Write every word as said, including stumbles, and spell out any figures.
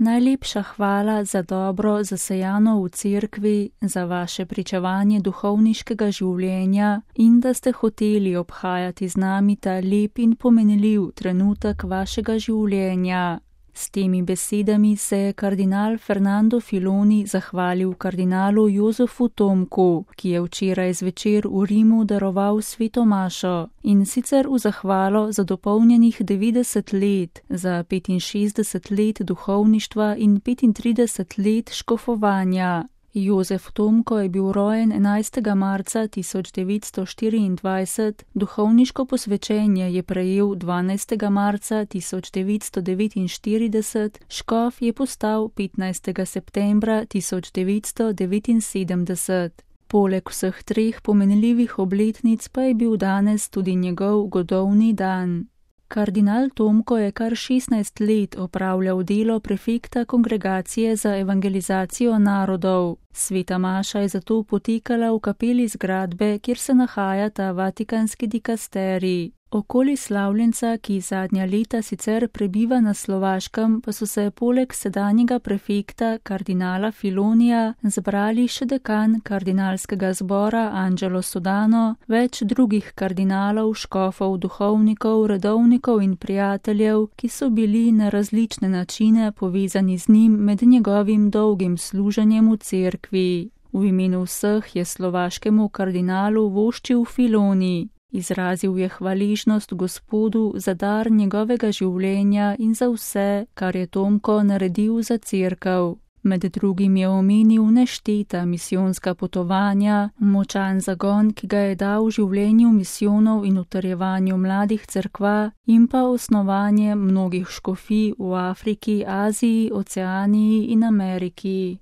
Najlepša hvala za dobro zasejano v cerkvi, za vaše pričevanje duhovniškega življenja in da ste hoteli obhajati z nami ta lep in pomenljiv trenutek vašega življenja. S temi besedami se je kardinal Fernando Filoni zahvalil kardinalu Jožefu Tomku, ki je včeraj zvečer v Rimu daroval sveto mašo, in sicer v zahvalo za dopolnjenih devetdeset let, za petinšestdeset let duhovništva in petintrideset let škofovanja. Jožef Tomko je bil rojen enajstega marca tisoč devetsto štiriindvajset, duhovniško posvečenje je prejel dvanajstega marca tisoč devetsto devetinštirideset, škof je postal petnajstega septembra tisoč devetsto devetinsedemdeset. Poleg vseh treh pomenljivih obletnic pa je bil danes tudi njegov godovni dan. Kardinal Tomko je kar šestnajst let opravljal delo prefekta Kongregacije za evangelizacijo narodov. Sveta maša je zato potekala v kapeli zgradbe, kjer se nahajata vatikanski dikasterij. Okoli slavljenca, ki zadnja leta sicer prebiva na Slovaškem, pa so se poleg sedanjega prefekta kardinala Filonija zbrali še dekan kardinalskega zbora Angelo Sodano, več drugih kardinalov, škofov, duhovnikov, redovnikov in prijateljev, ki so bili na različne načine povezani z njim med njegovim dolgim služenjem v cerkvi. V imenu vseh je slovaškemu kardinalu voščil Filoni. Izrazil je hvaležnost Gospodu za dar njegovega življenja in za vse, kar je Tomko naredil za cerkev. Med drugim je omenil nešteta misijonska potovanja, močan zagon, ki ga je dal življenju misijonov in utrjevanju mladih cerkva in pa osnovanje mnogih škofij v Afriki, Aziji, Oceaniji in Ameriki.